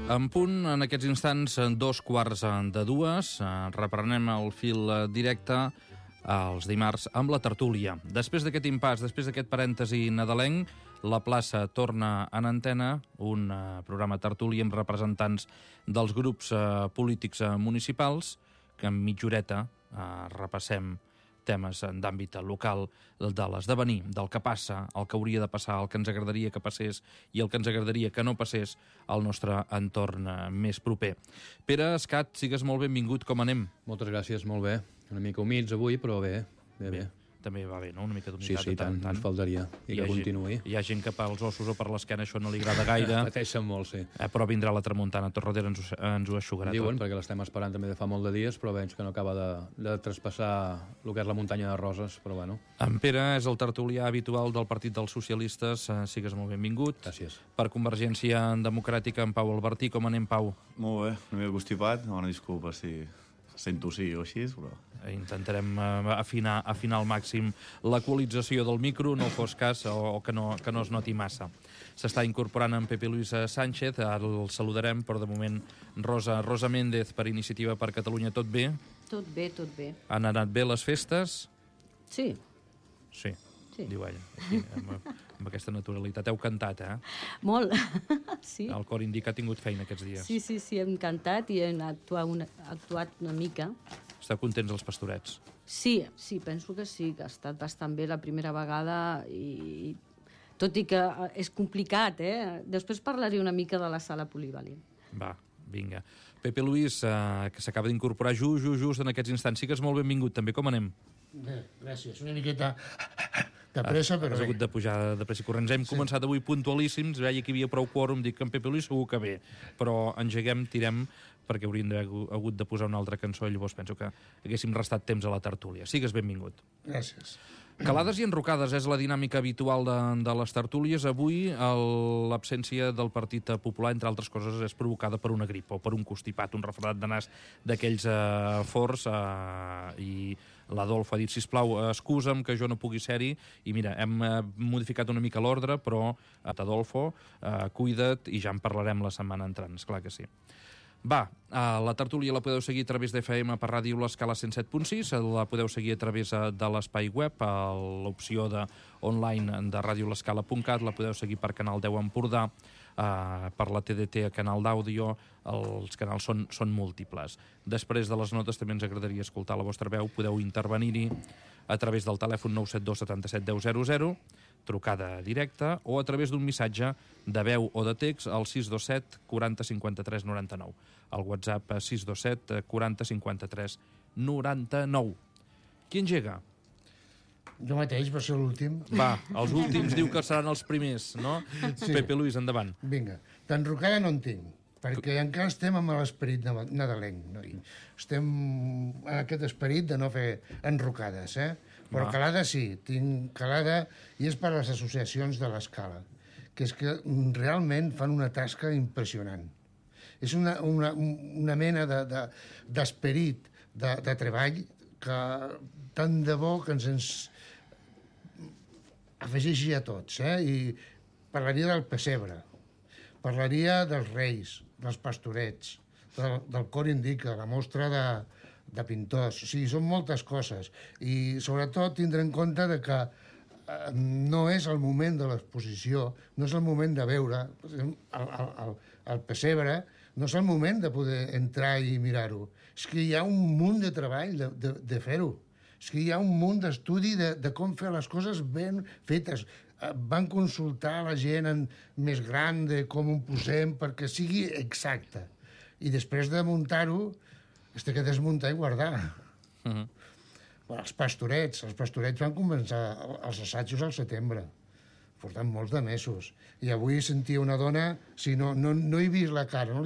En punt, en aquests instants, 2:15. Reprenem el fil directe els dimarts amb la tertúlia. Després d'aquest impàs, després d'aquest parèntesi nadalenc, la plaça torna en antena, un programa tertúlia amb representants dels grups polítics municipals, que en mitja horeta repassem temes d'àmbit local, de l'esdevenir, del que passa, el que hauria de passar, el que ens agradaria que passés i el que ens agradaria que no passés al nostre entorn més proper. Pere Escat, sigues molt benvingut, com anem? Moltes gràcies, molt bé. Una mica humits avui, però bé. També va bé, no? Una mica d'humitat. Sí, tant, ens faltaria. I que continuï. Hi ha gent que pels ossos o per l'esquena això no li agrada gaire. Pateixen molt, sí. Però vindrà la tramuntana, Torrodera ens ho eixugarà tot. Diuen, perquè l'estem esperant també de fa molt de dies, però veig que no acaba de traspassar el que és la muntanya de roses, però bueno. En Pere és el tertulià habitual del Partit dels Socialistes. Sigues molt benvingut. Gràcies. Per Convergència Democràtica, en Pau Albertí. Com anem, Pau? Molt bé, una mica constipat. Una disculpa si sento sí o així, però... Intentarem afinar al màxim l'equalització del micro, no fos cas, o que no es noti massa. S'està incorporant en Pepe Luis Sánchez, ara el saludarem, però de moment Rosa Méndez per Iniciativa per Catalunya. Tot bé? Tot bé, tot bé. Han anat bé les festes? Sí. Sí. Diu ella, aquí, amb aquesta naturalitat. Heu cantat, Molt, sí. El cor indica ha tingut feina aquests dies. Sí, hem cantat i hem actuat una mica. Esteu contents els pastorets? Sí, penso que sí, que ha estat bastant bé la primera vegada i tot i que és complicat, Després parlaré una mica de la sala polivalent. Va, vinga. Pepe Luis, que s'acaba d'incorporar just en aquests instants. Sigues molt benvingut, també. Com anem? Bé, gràcies. Una miqueta de pressa, però has hagut de pujar de pressa i corrents. Hem començat avui puntualíssims, veia que hi havia prou quòrum, dic que en Pepe Luis segur que bé, però engeguem, tirem, perquè hauríem hagut de posar una altra cançó i llavors penso que haguéssim restat temps a la tertúlia. Sigues benvingut. Gràcies. Calades i enrocades és la dinàmica habitual de les tertúlies. Avui l'absència del Partit Popular, entre altres coses, és provocada per una grip o per un constipat, un refredat de nas d'aquells forts, i l'Adolfo ha dit, sisplau, excusa'm que jo no pugui ser-hi, i mira, hem modificat una mica l'ordre, però Adolfo, cuida't i ja en parlarem la setmana entrant, esclar que sí. Va, la tertúlia la podeu seguir a través d'FM per Ràdio L'Escala 107.6, la podeu seguir a través de l'espai web, a l'opció online de radiolescala.cat, la podeu seguir per Canal 10 Empordà, per la TDT a Canal d'Àudio, els canals són múltiples. Després de les notes també ens agradaria escoltar la vostra veu, podeu intervenir-hi a través del telèfon 972 77 10 00, trucada directa, o a través d'un missatge de veu o de text al 627 40 53 99. El WhatsApp 627 40 53 99. Qui engega? Jo mateix, va ser l'últim. Va, els últims diu que seran els primers, no? Sí. Pepe Luis, endavant. Vinga, d'enrocada no en tinc, perquè encara estem amb l'esperit nadalenc, no? Estem en aquest esperit de no fer enrocades, Però calada sí, tinc calada, i és per les associacions de l'Escala, que és que realment fan una tasca impressionant. És una mena d'esperit, de treball, que tant de bo que ens afegeixi a tots, I parlaria del pessebre, parlaria dels reis, dels pastorets, del cor indica, la mostra de pintors. O sigui, són moltes coses. I sobretot tindre en compte que no és el moment de l'exposició, no és el moment de veure el pessebre, no és el moment de poder entrar i mirar-ho. És que hi ha un munt de treball de fer-ho. És que hi ha un munt d'estudi de com fer les coses ben fetes. Van consultar la gent més gran de com ho posem perquè sigui exacte. I després de muntar-ho, es té que desmuntar i guardar. Els pastorets van començar els assajos al setembre. Portant molts de mesos. I avui sentia una dona, no he vist la cara,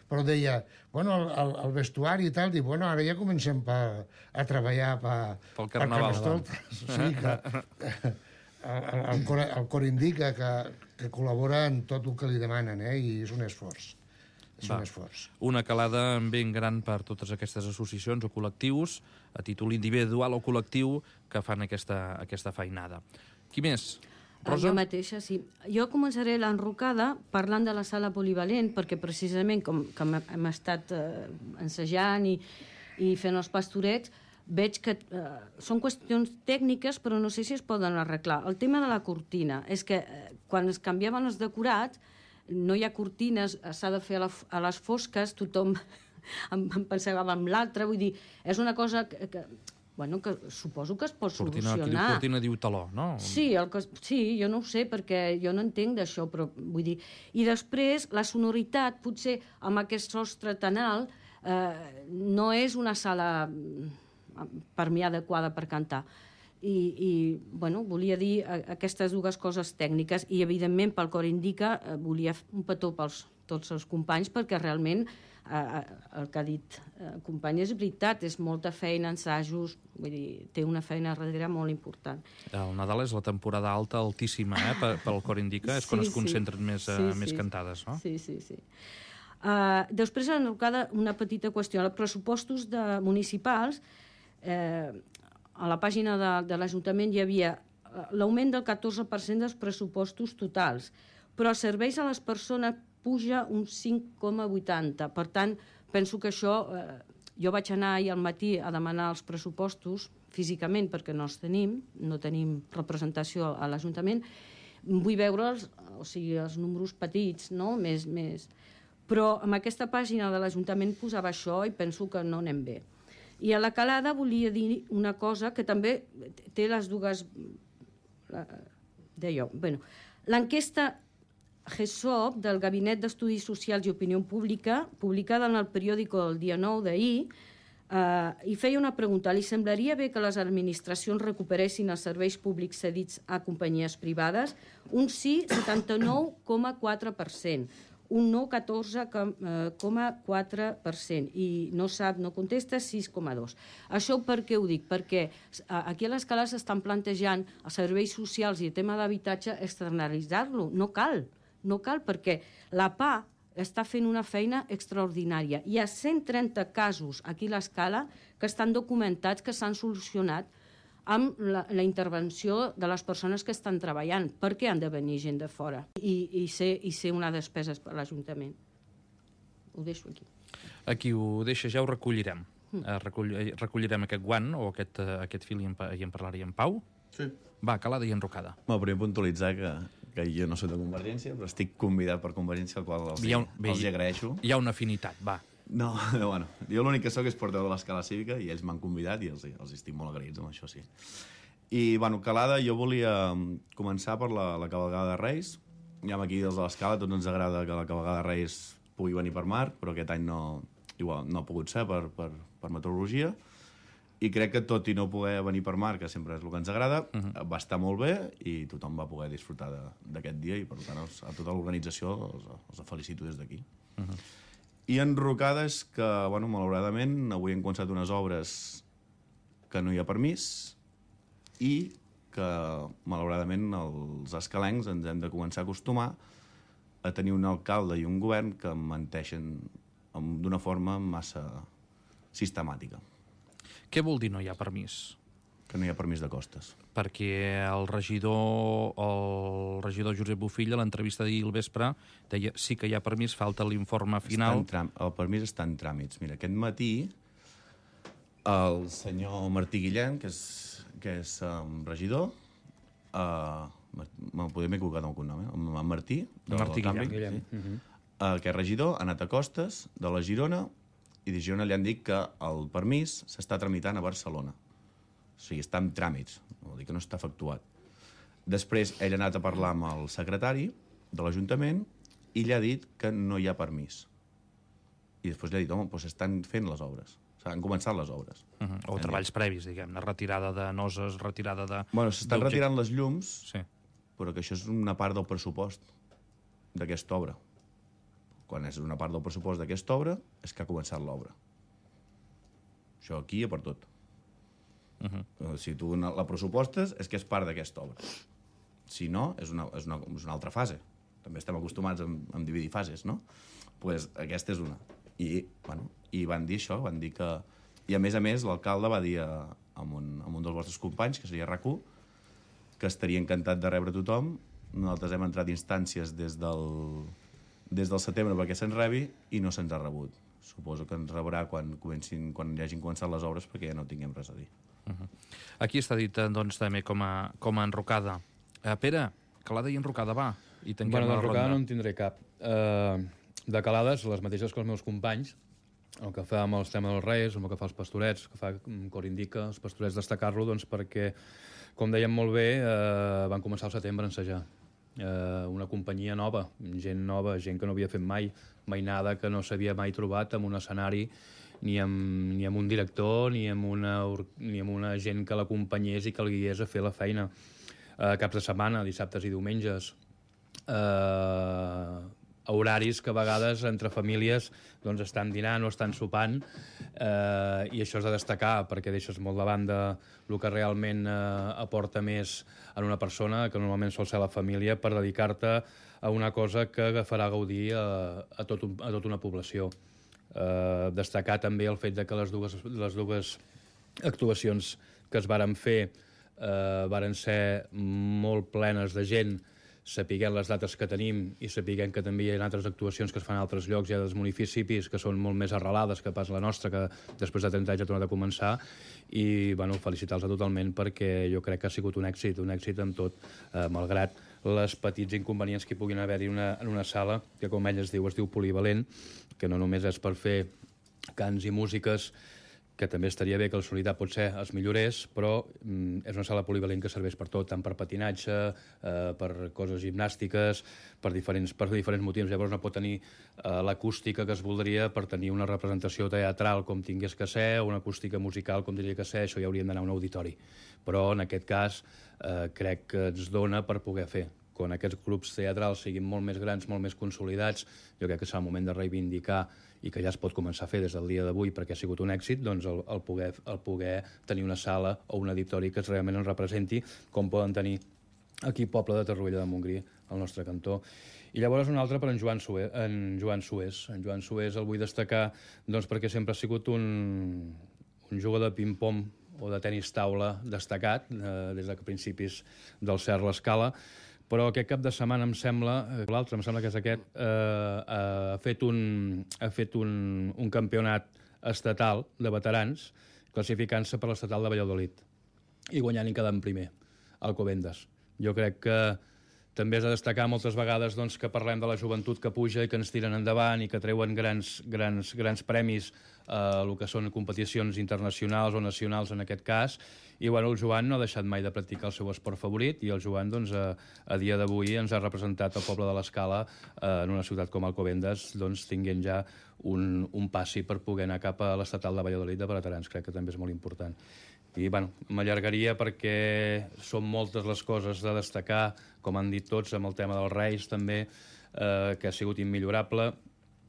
però deia, bueno, el vestuari i tal, diu, bueno, ara ja comencem a treballar pel carnaval. O sigui que el cor indica que col·labora en tot el que li demanen, i és un esforç. Un esforç. Una calada ben gran per totes aquestes associacions o col·lectius, a títol individual o col·lectiu, que fan aquesta feinada. Qui més? Rosa? Jo mateixa, sí. Jo començaré l'enrocada parlant de la sala polivalent, perquè precisament com hem estat ensejant i fent els pastorets, veig que són qüestions tècniques, però no sé si es poden arreglar. El tema de la cortina és que quan es canviaven els decorats, no hi ha cortines, s'ha de fer a les fosques, tothom em pensava en l'altre, vull dir, és una cosa que suposo que es pot solucionar. Cortina diu taló, no? Sí, jo no ho sé, perquè jo no entenc d'això, però vull dir... I després, la sonoritat, potser amb aquest sostre tan alt, no és una sala per mi adequada per cantar. I volia dir aquestes dues coses tècniques i, evidentment, pel Cor Indica volia un petó pels tots els companys, perquè realment el que ha dit el company és veritat, és molta feina, ensajos, vull dir, té una feina darrere molt important. El Nadal és la temporada alta, altíssima, pel Cor Indica, és quan es concentren més cantades, no? Sí. Després, una petita qüestió. Els pressupostos municipals, a la pàgina de l'Ajuntament hi havia l'augment del 14% dels pressupostos totals, però els serveis a les persones puja un 5,80. Per tant, penso que això... Jo vaig anar ahir al matí a demanar els pressupostos físicament, perquè no els tenim, no tenim representació a l'Ajuntament. Vull veure'ls, o sigui, els números petits, no? Més. Però amb aquesta pàgina de l'Ajuntament posava això i penso que no anem bé. I a la Calada volia dir una cosa que també té les dues... L'enquesta GESOP del Gabinet d'Estudis Socials i Opinió Pública, publicada en el periòdico del dia 9 d'ahir, i feia una pregunta: li semblaria bé que les administracions recuperessin els serveis públics cedits a companyies privades? Un sí, 79,4%, un no, 14,4%, i no contesta, 6,2%. Això per què ho dic? Perquè aquí a l'Escala s'estan plantejant els serveis socials i el tema d'habitatge externalitzar-lo. No cal, perquè la PA està fent una feina extraordinària. Hi ha 130 casos aquí a l'Escala que estan documentats, que s'han solucionat amb la intervenció de les persones que estan treballant. Per què han de venir gent de fora i ser una despesa per l'Ajuntament? Ho deixo aquí. Aquí ho deixa, ja ho recollirem. Recollirem aquest guant o aquest fil i en parlaríem. Pau? Sí. Va, Calada i enrocada. Primer puntualitzar que jo no soc de Convergència, però estic convidat per Convergència, al qual els agraeixo. Hi ha una afinitat, va. No, bueno, jo l'únic que soc és portador de l'Escala Cívica i ells m'han convidat i els estic molt agraïts amb això, sí. I, bueno, Calada, jo volia començar per la cavalgada de Reis. Ja aquí des de l'Escala tots ens agrada que la cavalgada de Reis pugui venir per mar, però aquest any no ha pogut ser per meteorologia. I crec que tot i no poder venir per mar, que sempre és el que ens agrada, va estar molt bé i tothom va poder disfrutar d'aquest dia i, per tant, a tota l'organització els felicito des d'aquí. I enrocades que, bueno, malauradament, avui hem començat unes obres que no hi ha permís i que, malauradament, els escalencs ens hem de començar a acostumar a tenir un alcalde i un govern que menteixen d'una forma massa sistemàtica. Què vol dir no hi ha permís? Que no hi ha permís de costes. Perquè el regidor Josep Bofill, a l'entrevista d'ahir al vespre, deia sí que hi ha permís, falta l'informe final. El permís està en tràmits. Mira, aquest matí el senyor Martí Guillén, que és regidor, m'he equivocat amb el cognom, en Martí Guillén, que és regidor, ha anat a Costes, de la Girona, i de Girona li han dit que el permís s'està tramitant a Barcelona. O sigui, està en tràmits, vol dir que no està efectuat. Després ell ha anat a parlar amb el secretari de l'Ajuntament i li ha dit que no hi ha permís. I després li ha dit, home, doncs s'estan fent les obres. Han començat les obres. O treballs previs, diguem-ne, retirada de noses, retirada de... Bueno, s'estan retirant les llums, però que això és una part del pressupost d'aquesta obra. Quan és una part del pressupost d'aquesta obra, és que ha començat l'obra. Això aquí hi ha per tot. Si tu la pressupostes, és que és part d'aquesta obra. Si no, és una altra fase. També estem acostumats a dividir fases, no? Doncs aquesta és una. I van dir això, van dir que... I a més, l'alcalde va dir a un dels vostres companys, que seria RAC1, que estaria encantat de rebre tothom. Nosaltres hem entrat instàncies des del setembre perquè se'ns rebi i no se'ns ha rebut. Suposo que ens rebrà quan hi hagin començat les obres, perquè ja no tinguem res a dir. Aquí està dit, doncs, també com a enrocada. Pere, calada i enrocada, va. I tanquem la ronda. D'enrocada no en tindré cap. De calades, les mateixes que els meus companys, el que fa amb els temes dels Reis, el que fa els Pastorets, el que fa Cor Indica, els Pastorets destacar-lo, doncs perquè, com dèiem molt bé, van començar al setembre a ensejar. Una companyia nova, gent que no havia fet mai nada, que no s'havia mai trobat en un escenari, ni amb un director, ni amb una gent que l'acompanyés i que el guiés a fer la feina. Caps de setmana, dissabtes i diumenges, horaris que a vegades entre famílies doncs estan dinant o estan sopant, i això és de destacar perquè deixes molt de banda el que realment aporta més en una persona, que normalment sol ser la família, per dedicar-te a una cosa que farà gaudir a tota una població. Destacar també el fet de que les dues actuacions que es varen fer varen ser molt plenes de gent, sapiguem les dates que tenim i sapiguem que també hi ha altres actuacions que es fan a altres llocs, ja dels municipis, que són molt més arrelades que pas la nostra, que després de 30 anys ha tornat a començar, i felicitar-los totalment perquè jo crec que ha sigut un èxit amb tot, malgrat les petits inconvenients que hi puguin haver-hi en una sala, que com ell es diu polivalent, que no només és per fer cants i músiques, que també estaria bé que el sonoritat potser es millorés, però és una sala polivalent que serveix per tot, tant per patinatge, per coses gimnàstiques, per diferents motius. Llavors no pot tenir l'acústica que es voldria per tenir una representació teatral com tingués que ser, o una acústica musical com tindria que ser, això ja hauríem d'anar a un auditori. Però en aquest cas crec que ens dona per poder fer. Quan aquests grups teatrals siguin molt més grans, molt més consolidats, jo crec que serà el moment de reivindicar i que ja es pot començar a fer des del dia d'avui perquè ha sigut un èxit, doncs el poder tenir una sala o un auditori que realment ens representi, com poden tenir aquí Poble de Torroella de Montgrí, al nostre cantó. I llavors un altre per en Joan Sués. En Joan Sués el vull destacar doncs, perquè sempre ha sigut un jugador de ping-pong o de tenis taula destacat des de principis del Cert l'Escala, però aquest cap de setmana em sembla que és aquest, ha fet un campionat estatal de veterans, classificant-se per l'estatal de Valladolid i guanyant i quedant primer, Alcobendas. Jo crec que també és de destacar moltes vegades doncs, que parlem de la joventut que puja i que ens tiren endavant i que treuen grans premis a el que són competicions internacionals o nacionals en aquest cas. I el Joan no ha deixat mai de practicar el seu esport favorit i el Joan doncs, a dia d'avui ens ha representat al Poble de l'Escala en una ciutat com Alcobendas, doncs, tinguent ja un passi per poder anar cap a l'estatal de Valladolid de veterans. Crec que també és molt important. I m'allargaria perquè són moltes les coses a destacar, com han dit tots, amb el tema dels Reis també, que ha sigut immillorable.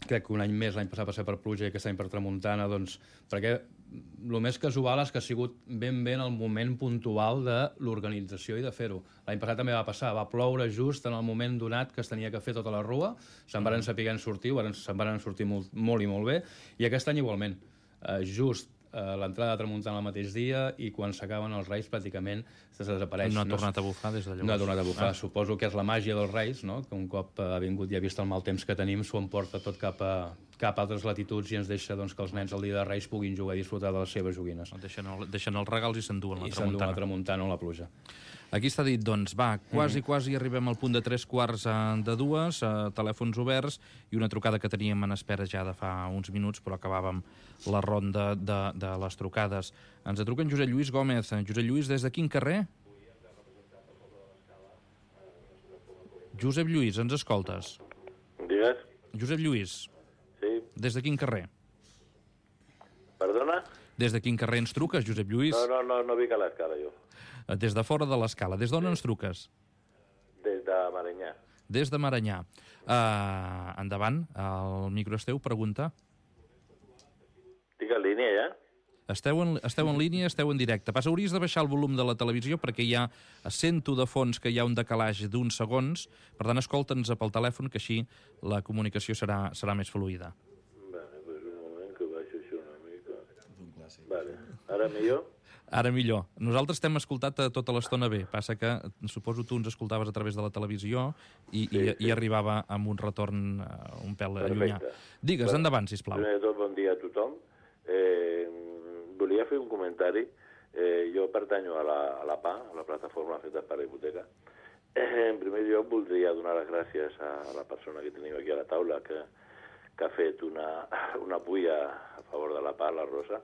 Crec que un any més, l'any passat va ser per pluja i aquest any per tramuntana, doncs, perquè el més casual és que ha sigut ben bé en el moment puntual de l'organització i de fer-ho. L'any passat també va passar, va ploure just en el moment donat que es tenia que fer tota la rua, se'n van saber sortir, se'n van sortir molt i molt bé, i aquest any igualment. Just l'entrada de tramuntana el mateix dia i quan s'acaben els Reis pràcticament desapareix. No ha tornat a bufar des de llavors. No ha tornat a bufar. Suposo que és la màgia dels Reis, no? Que un cop ha vingut i ha vist el mal temps que tenim s'ho emporta tot cap a altres latituds i ens deixa doncs, que els nens el dia de Reis puguin jugar i disfrutar de les seves joguines. Deixen els regals i s'enduen la tramuntana. I s'enduen la tramuntana o la pluja. Aquí està dit, doncs, va, quasi arribem al punt de 3:45, telèfons oberts i una trucada que teníem en espera ja de fa uns minuts, però acabàvem la ronda de les trucades. Ens truca en Josep Lluís Gómez. Josep Lluís, des de quin carrer? Josep Lluís, ens escoltes? Digues. Josep Lluís. Sí. Des de quin carrer? Perdona? Des de quin carrer ens truques, Josep Lluís? No vinc a l'Escala, jo. Des de fora de l'Escala. Des d'on ens truques? Des de Maranyà. Des de Maranyà. Endavant, el micro és teu, pregunta. Estic en línia, ja? Esteu en línia, esteu en directe. Hauries de baixar el volum de la televisió perquè sento de fons que hi ha un decalatge d'uns segons, per tant, escolta'ns pel telèfon, que així la comunicació serà més fluida. Vale, pues un moment que baixo això una mica. Vale, ara millor? Ara millor. Nosaltres t'hem escoltat tota l'estona bé. Passa que suposo tu ens escoltaves a través de la televisió i arribava amb un retorn un pèl llunyà. Digues, endavant, sisplau. Primer de tot, bon dia a tothom. Volia fer un comentari. Jo pertanyo a la PA, a la plataforma feta per la hipoteca. En primer lloc, voldria donar les gràcies a la persona que tenim aquí a la taula, que ha fet una pulla a favor de la PA, la Rosa.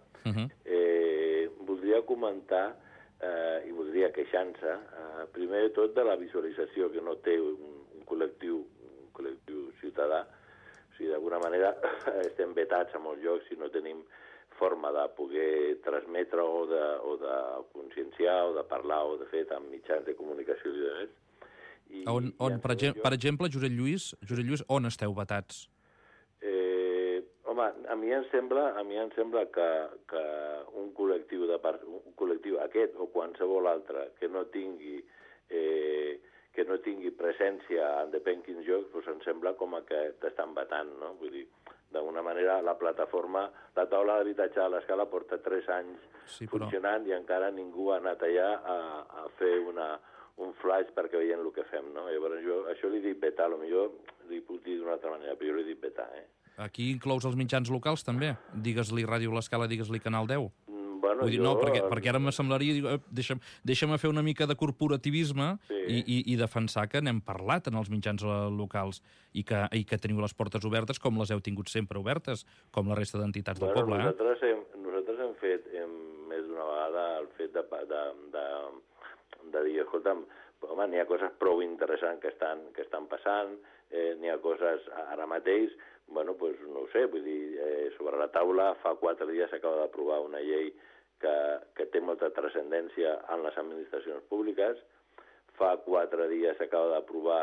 Voldria comentar i voldria queixar-se, primer de tot, de la visualització que no té un col·lectiu ciutadà. O sigui, d'alguna manera estem vetats a molts llocs si no tenim forma de poder transmetre o de conscienciar o de parlar o de fer amb mitjans de comunicació i demés. Per exemple, Josep Lluís, on esteu vetats? Home, a mi em sembla que un col·lectiu aquest o qualsevol altre que no tingui presència en depèn quins jocs, doncs em sembla com que t'estan vetant, no? Vull dir, d'alguna manera la plataforma, la taula d'habitatge de l'Escala porta 3 anys funcionant i encara ningú ha anat allà a fer un flash perquè veient el que fem, no? Llavors jo això li dic vetar, potser li puc dir d'una altra manera, però jo li dic vetar, Aquí inclous els mitjans locals, també? Digues-li Ràdio L'Escala, digues-li Canal 10. Bueno, vull dir, no, perquè ara m'assemblaria... Deixa'm fer una mica de corporativisme i defensar que n'hem parlat en els mitjans locals i que teniu les portes obertes com les heu tingut sempre obertes, com la resta d'entitats del poble. Nosaltres hem fet més d'una vegada el fet de dir, escolta'm, home, n'hi ha coses prou interessants que estan passant, n'hi ha coses ara mateix, bueno, doncs no ho sé, vull dir, sobre la taula fa 4 dies s'acaba d'aprovar una llei que té molta transcendència en les administracions públiques, fa 4 dies s'acaba d'aprovar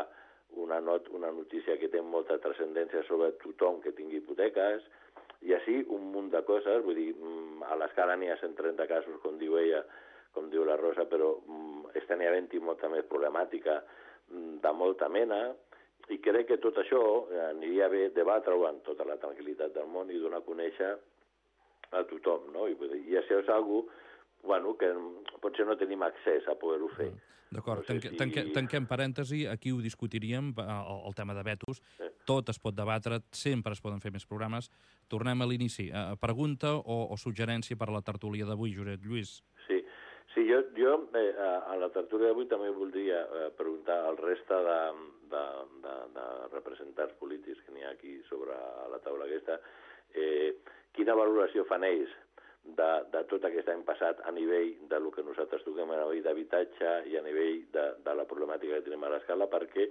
una notícia que té molta transcendència sobre tothom que tingui hipoteques, i així un munt de coses, vull dir, a l'Escala n'hi ha 130 casos, com diu ella, com diu la Rosa, però n'hi havent-hi molta més problemàtica de molta mena, i crec que tot això aniria bé debatre-ho amb tota la tranquil·litat del món i donar a conèixer a tothom, no? I això és una cosa que potser no tenim accés a poder-ho fer. D'acord, tanquem parèntesi, aquí ho discutiríem, el tema de vetos, tot es pot debatre, sempre es poden fer més programes. Tornem a l'inici. Pregunta o suggerència per a la tertúlia d'avui, Josep Lluís? Sí, jo a la tertúlia d'avui també voldria preguntar al resta de representants polítics que n'hi ha aquí sobre la taula aquesta, quina valoració fan ells de tot aquest any passat a nivell de lo que nosaltres toquem a nivell d'habitatge i a nivell de la problemàtica que tenim a l'Escala, perquè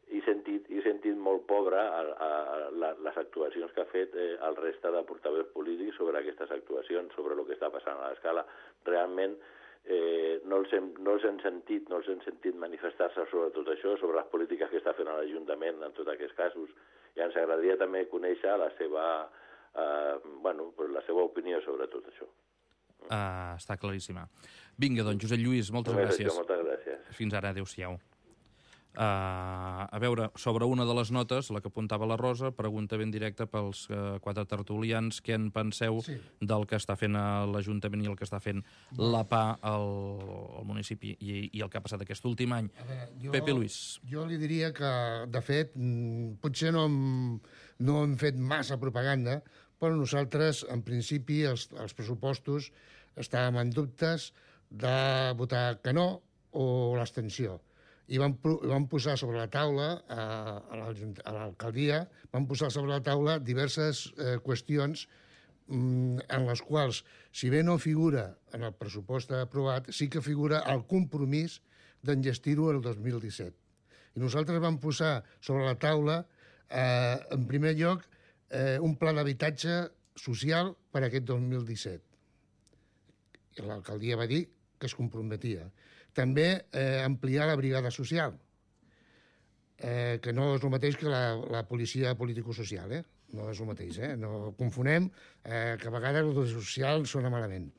he sentit molt pobre les actuacions que ha fet el reste de portaveus polítics sobre aquestes actuacions, sobre el que està passant a l'Escala. Realment no els hem sentit manifestar-se sobre tot això, sobre les polítiques que està fent l'Ajuntament en tots aquests casos, i ens agradaria també conèixer la seva opinió sobre tot això. Està claríssima. Vinga, doncs, Josep Lluís, moltes gràcies. Moltes gràcies. Fins ara, adéu-siau. A veure, sobre una de les notes, la que apuntava la Rosa, pregunta ben directa pels 4 tertulians, què en penseu del que està fent l'Ajuntament i el que està fent la PA al municipi i el que ha passat aquest últim any. Pepe Luis. Jo li diria que, de fet, potser no hem fet massa propaganda, però nosaltres, en principi, els pressupostos estàvem en dubtes de votar que no o l'abstenció. I vam posar sobre la taula, a l'alcaldia, vam posar sobre la taula diverses qüestions en les quals, si bé no figura en el pressupost aprovat, sí que figura el compromís d'enllestir-ho el 2017. I nosaltres vam posar sobre la taula, en primer lloc, un pla d'habitatge social per a aquest 2017. I l'alcaldia va dir que es comprometia. També ampliar la brigada social, que no és el mateix que la policia político-social, no és el mateix, no confonem, que a vegades el social sona malament.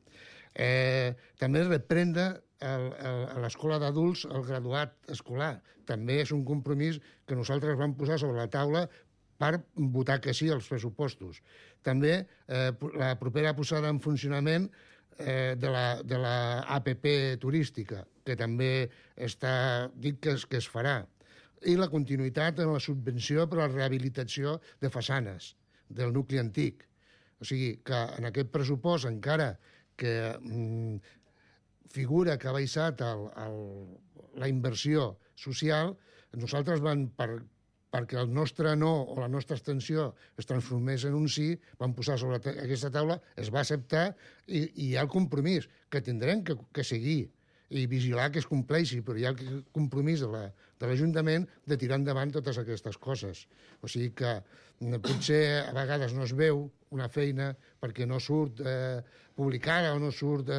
També reprendre a l'escola d'adults el graduat escolar. També és un compromís que nosaltres vam posar sobre la taula per votar que sí als pressupostos. També la propera posada en funcionament de la APP turística, que també dic que es farà, i la continuïtat en la subvenció per a la rehabilitació de façanes del nucli antic. O sigui que en aquest pressupost, encara que figura que ha baixat la inversió social, nosaltres perquè el nostre no o la nostra abstenció es transformés en un sí, vam posar sobre aquesta taula, es va acceptar i hi ha el compromís que tindrem que seguir i vigilar que es compleixi, però hi ha el compromís de l'Ajuntament de tirar endavant totes aquestes coses. O sigui que potser a vegades no es veu una feina perquè no surt publicada o no surt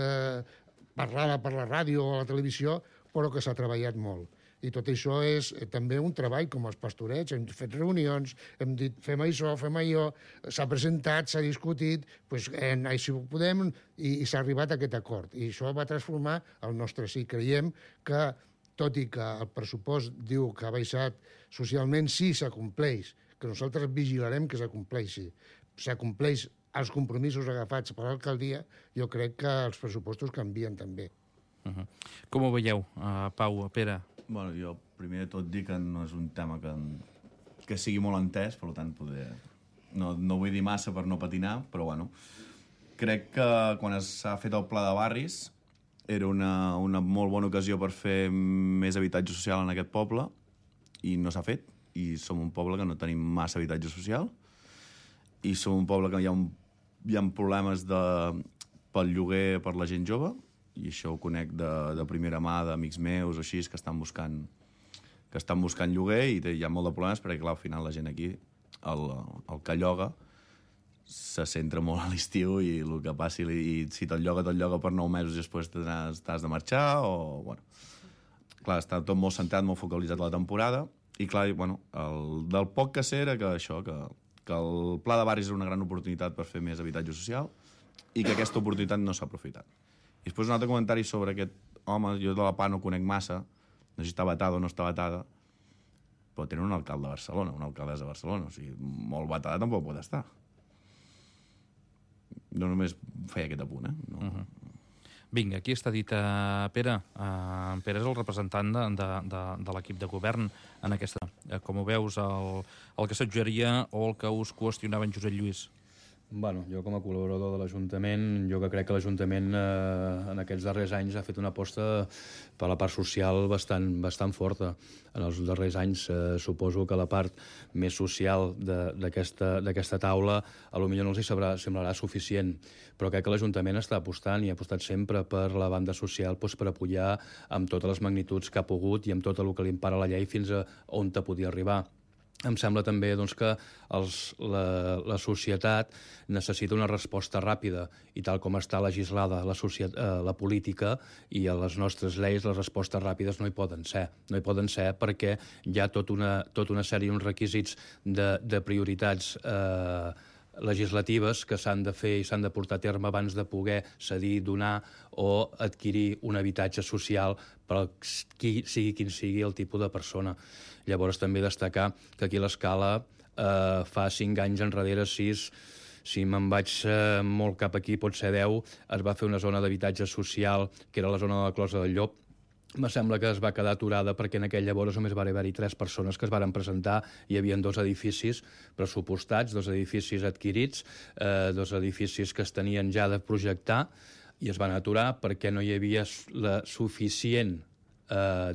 parlada per la ràdio o la televisió, però que s'ha treballat molt. I tot això és també un treball com els pastorets, hem fet reunions, hem dit fem això, fem allò, s'ha presentat, s'ha discutit, doncs així ho podem i s'ha arribat a aquest acord. I això va transformar el nostre sí. Creiem que, tot i que el pressupost diu que ha baixat socialment, sí s'acompleix, que nosaltres vigilarem que s'acompleixi. S'acompleix els compromisos agafats per l'alcaldia, jo crec que els pressupostos canvien també. Com ho veieu, Pau, Pere? Bueno, jo primer de tot dic que no és un tema que sigui molt entès, per tant, no vull dir massa per no patinar, però bueno, crec que quan s'ha fet el pla de barris era una molt bona ocasió per fer més habitatge social en aquest poble i no s'ha fet, i som un poble que no tenim massa habitatge social i som un poble que hi ha problemes pel lloguer per la gent jove, i això ho conec de primera mà d'amics meus o així, que estan buscant lloguer i hi ha molt de problemes perquè, clar, al final la gent aquí, el que lloga, se centra molt a l'estiu i el que passi, i si te'l lloga per 9 mesos i després t'has de marxar, o, bueno... Clar, està tot molt centrat, molt focalitzat a la temporada, i clar, bueno, del poc que sé era que això, que el pla de barris era una gran oportunitat per fer més habitatge social i que aquesta oportunitat no s'ha aprofitat. I després un altre comentari sobre aquest home, jo de la PA no conec massa, no sé si està vetada o no està vetada, però tenen un alcalde de Barcelona, una alcaldessa de Barcelona, o sigui, molt vetada tampoc pot estar. No només feia aquest apunt, No. Vinga, aquí està dit Pere. Pere és el representant de l'equip de govern en aquesta. Com ho veus, el que suggeria o el que us qüestionava en Josep Lluís? Bueno, jo com a col·laborador de l'Ajuntament, jo que crec que l'Ajuntament en aquests darrers anys ha fet una aposta per la part social bastant forta. En els darrers anys suposo que la part més social d'aquesta taula potser no els semblarà suficient, però crec que l'Ajuntament està apostant i ha apostat sempre per la banda social per apoyar amb totes les magnituds que ha pogut i amb tot el que li empara la llei fins a on te podia arribar. Em sembla també que la societat necessita una resposta ràpida i tal com està legislada la política i a les nostres lleis, les respostes ràpides no hi poden ser. No hi poden ser perquè hi ha tota una sèrie de requisits de prioritats legislatives que s'han de fer i s'han de portar a terme abans de poder cedir, donar o adquirir un habitatge social per sigui quin sigui el tipus de persona. Llavors també destacar que aquí l'escala fa 5 anys enrere, 6, si me'n vaig molt cap aquí, pot ser 10, es va fer una zona d'habitatge social que era la zona de la Closa del Llop. Me sembla que es va quedar aturada perquè en aquell llavors només va haver-hi 3 persones que es varen presentar. Hi havia 2 edificis pressupostats, 2 edificis adquirits, 2 edificis que es tenien ja de projectar i es van aturar perquè no hi havia la suficient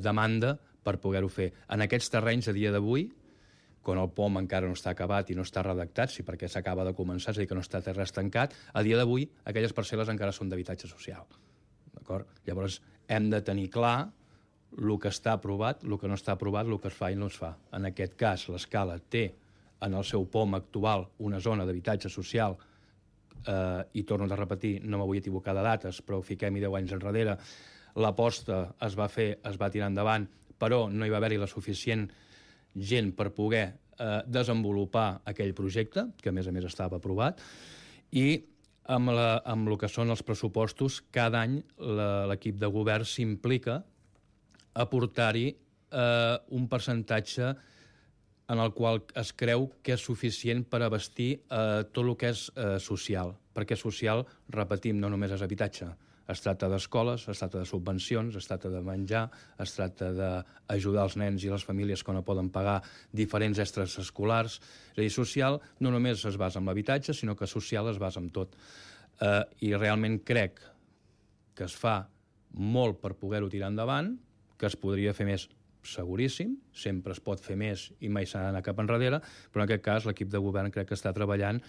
demanda per poder-ho fer. En aquests terrenys, a dia d'avui, quan el POM encara no està acabat i no està redactat, sí, perquè s'acaba de començar, és a dir, que no està res tancat, a dia d'avui aquelles parcel·les encara són d'habitatge social. D'acord? Llavors, hem de tenir clar el que està aprovat, el que no està aprovat, el que es fa i no es fa. En aquest cas, l'escala té en el seu POM actual una zona d'habitatge social i torno a repetir, no m'vull equivocar de dates, però fiquem-hi 10 anys enrere. L'aposta es va fer, es va tirar endavant, però no hi va haver-hi la suficient gent per poder desenvolupar aquell projecte, que a més estava aprovat, i amb el que són els pressupostos, cada any l'equip de govern s'implica a portar-hi un percentatge en el qual es creu que és suficient per abastir tot el que és social. Perquè social, repetim, no només és habitatge. Es tracta d'escoles, es tracta de subvencions, es tracta de menjar, es tracta d'ajudar els nens i les famílies que no poden pagar diferents extres escolars. És a dir, social no només es basa en l'habitatge, sinó que social es basa en tot. I realment crec que es fa molt per poder-ho tirar endavant, que es podria fer més, seguríssim, sempre es pot fer més i mai s'ha d'anar cap enrere, però en aquest cas l'equip de govern crec que està treballant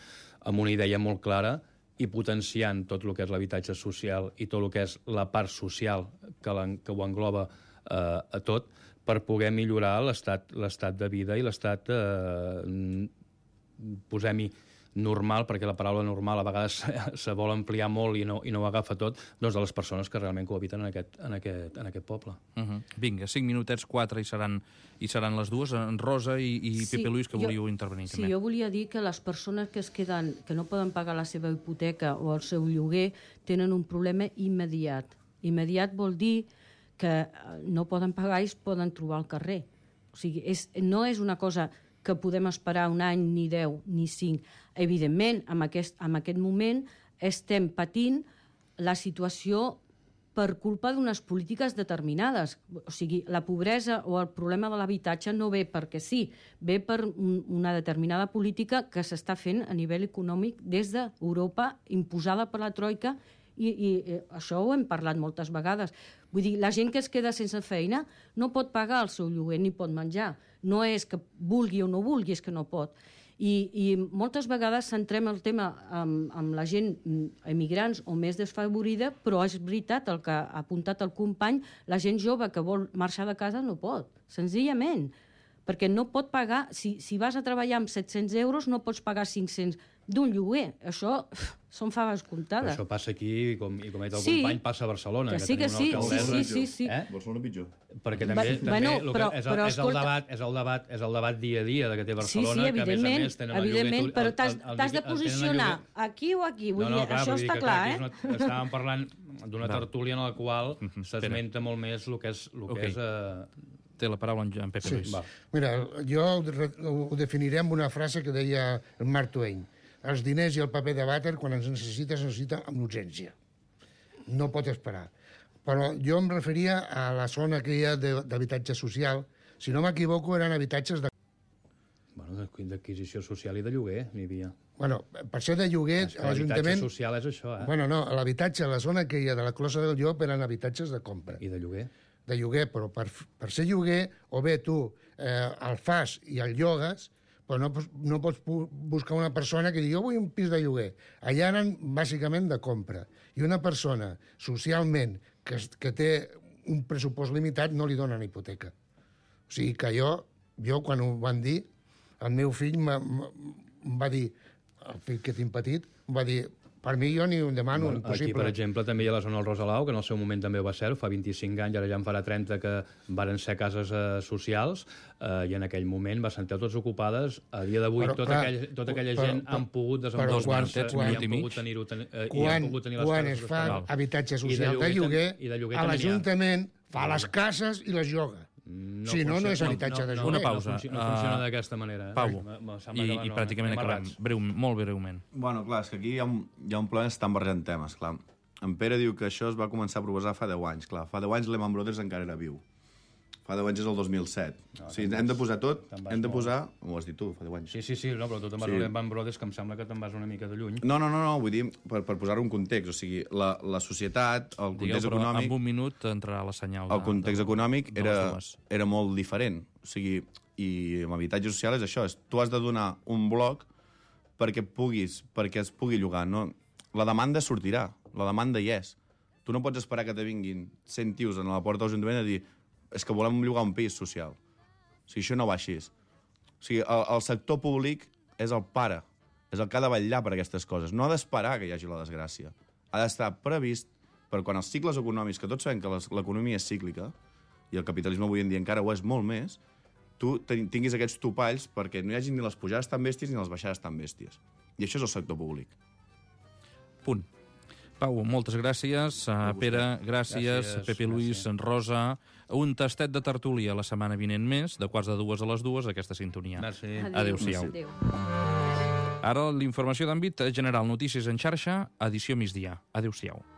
amb una idea molt clara i potenciant tot el que és l'habitatge social i tot el que és la part social que ho engloba a tot, per poder millorar l'estat de vida i l'estat, posem-hi, normal, perquè la paraula normal a vegades se vol ampliar molt i no ho agafa tot, doncs de les persones que realment cohabiten en aquest poble. Vinga, 5 minutets, 4 i seran les dues. En Rosa i Pepe Luis, que volíeu intervenir també. Sí, jo volia dir que les persones que es queden, que no poden pagar la seva hipoteca o el seu lloguer, tenen un problema immediat. Immediat vol dir que no poden pagar i es poden trobar al carrer. O sigui, no és una cosa que podem esperar un any, ni 10, ni 5. Evidentment, en aquest moment estem patint la situació per culpa d'unes polítiques determinades. O sigui, la pobresa o el problema de l'habitatge no ve perquè sí, ve per una determinada política que s'està fent a nivell econòmic des d'Europa, imposada per la Troika, i això ho hem parlat moltes vegades. Vull dir, la gent que es queda sense feina no pot pagar el seu lloguer ni pot menjar. No és que vulgui o no vulgui, és que no pot. I moltes vegades centrem el tema amb la gent emigrants o més desfavorida, però és veritat el que ha apuntat el company, la gent jove que vol marxar de casa no pot, senzillament. Perquè no pot pagar, si vas a treballar amb 700 euros, no pots pagar 500 d'un lloguer. Això són faves comptades. Però això passa aquí, i com ha dit el company, passa a Barcelona. Que sí, que sí. Sí. Barcelona pitjor. Perquè també és el debat dia a dia que té Barcelona, que a més tenen el lloguer... Evidentment, però t'has de posicionar aquí o aquí. Vull dir, això està clar, eh? Estàvem parlant d'una tertúlia en la qual s'esmenta molt més el que és... Té la paraula en Pepe Luis. Mira, jo ho definiré amb una frase que deia el Mark Twain. Els diners i el paper de vàter, quan ens necessita amb urgència. No pot esperar. Però jo em referia a la zona que hi ha d'habitatge social. Si no m'equivoco, eren habitatges de... Bueno, d'acquisició social i de lloguer, n'hi havia. Bueno, per ser de lloguer, l'Ajuntament... L'habitatge social és això, Bueno, no, l'habitatge, la zona que hi ha de la Closa del Llop eren habitatges de compra. I de lloguer? De lloguer, però per ser lloguer, o bé tu el fas i el llogues, però no pots buscar una persona que digui jo vull un pis de lloguer. Allà eren bàsicament de compra. I una persona socialment que té un pressupost limitat no li donen hipoteca. O sigui que jo quan ho van dir, el meu fill em va dir, el fill que tinc petit, em va dir, per mi jo ni ho demano, impossible. Aquí, per exemple, també hi ha la zona del Rosalau, que en el seu moment també ho va ser, fa 25 anys, ara ja en farà 30, que varen ser cases socials, i en aquell moment va ser totes ocupades. A dia d'avui, tota aquella gent han pogut desenvolupar-se i han pogut tenir-ho. Quan es fa habitatge social de lloguer, a l'Ajuntament fa les cases i les lloga. Si no, no és habitatge de lloguer. Una pausa. No funciona d'aquesta manera. Pau, i pràcticament acabem. Molt breument. Bueno, clar, és que aquí hi ha un problema, estan barrejant temes, clar. En Pere diu que això es va començar a proposar fa 10 anys, clar. Fa 10 anys Lehman Brothers encara era viu. Fa 10 anys és el 2007. O sigui, hem de posar tot, hem de posar... Ho has dit tu, fa 10 anys. Sí, no, però tu te'n vas a Lehman Brothers, que em sembla que te'n vas una mica de lluny. No, vull dir, per posar-ho en context. O sigui, la societat, el context econòmic... En un minut entrarà la senyal. El context econòmic era molt diferent. O sigui, i amb habitatge social és això, tu has de donar un bloc perquè es pugui llogar. No? La demanda sortirà, la demanda hi és. Tu no pots esperar que te vinguin 100 tios a la porta de l'Ajuntament a dir és que volem llogar un pis social. O sigui, això no va així. O sigui, el sector públic és el pare, és el que ha de vetllar per aquestes coses. No ha d'esperar que hi hagi la desgràcia. Ha d'estar previst per quan els cicles econòmics, que tots sabem que l'economia és cíclica, i el capitalisme avui en dia encara ho és molt més, tu tinguis aquests topalls perquè no hi hagi ni les pujades tan bèsties ni les baixades tan bèsties. I això és el sector públic. Punt. Pau, moltes gràcies. Pere, gràcies. Pepe Luis, Rosa. Un tastet de tertúlia la setmana vinent més, de 1:45 a les 2, aquesta sintonia. Merci. Adéu-siau. Ara l'informació d'àmbit general, notícies en xarxa, edició migdia. Adéu-siau.